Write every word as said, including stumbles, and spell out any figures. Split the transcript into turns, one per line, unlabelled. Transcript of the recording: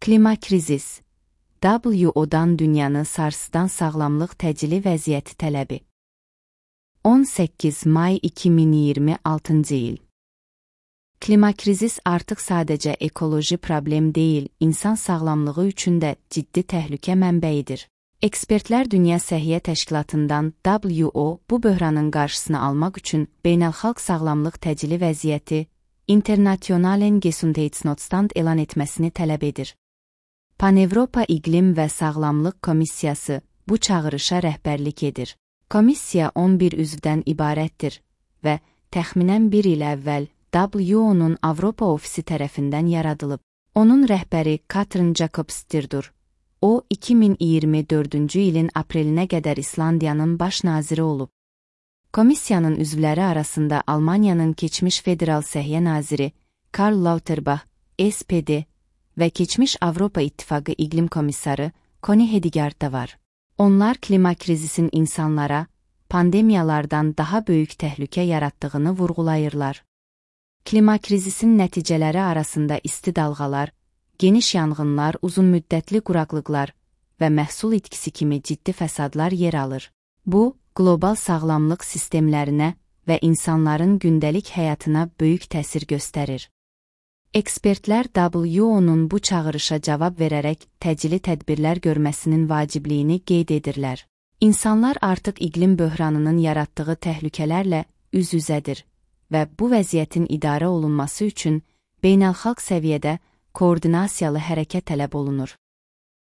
Klimakrizis, W O-dan dünyanı sarsıdan sağlamlıq təcili vəziyyəti tələbi. on səkkiz may iki min iyirmi altıncı il. Klimakrizis artıq sadəcə ekoloji problem deyil, insan sağlamlığı üçün də ciddi təhlükə mənbəyidir. Ekspertlər Dünya Səhiyyə Təşkilatından W O bu böhranın qarşısını almaq üçün beynəlxalq sağlamlıq təcili vəziyyəti Internationalen Gesundheitsnotstand elan etməsini tələb edir. Pan-Avropa İqlim və Sağlamlıq Komissiyası bu çağırışa rəhbərlik edir. Komissiya on bir üzvdən ibarətdir və təxminən bir il əvvəl W O-nun Avropa ofisi tərəfindən yaradılıb. Onun rəhbəri Katrin Jakobsdottir. O, iki min iyirmi dördüncü ilin aprelinə qədər İslandiyanın baş naziri olub. Komissiyanın üzvləri arasında Almaniyanın keçmiş federal səhiyyə naziri Karl Lauterbach, S P D və keçmiş Avropa İttifaqı İqlim Komissarı Connie Hedegaard da var. Onlar klimakrizisin insanlara, pandemiyalardan daha böyük təhlükə yaratdığını vurğulayırlar. Klimakrizisin nəticələri arasında isti dalğalar, geniş yanğınlar, uzunmüddətli quraqlıqlar və məhsul itkisi kimi ciddi fəsadlar yer alır. Bu, qlobal sağlamlıq sistemlərinə və insanların gündəlik həyatına böyük təsir göstərir. Ekspertlər W O-nun bu çağırışa cavab verərək təcili tədbirlər görməsinin vacibliyini qeyd edirlər. İnsanlar artıq iqlim böhranının yaratdığı təhlükələrlə üz-üzədir və bu vəziyyətin idarə olunması üçün beynəlxalq səviyyədə koordinasiyalı hərəkət tələb olunur.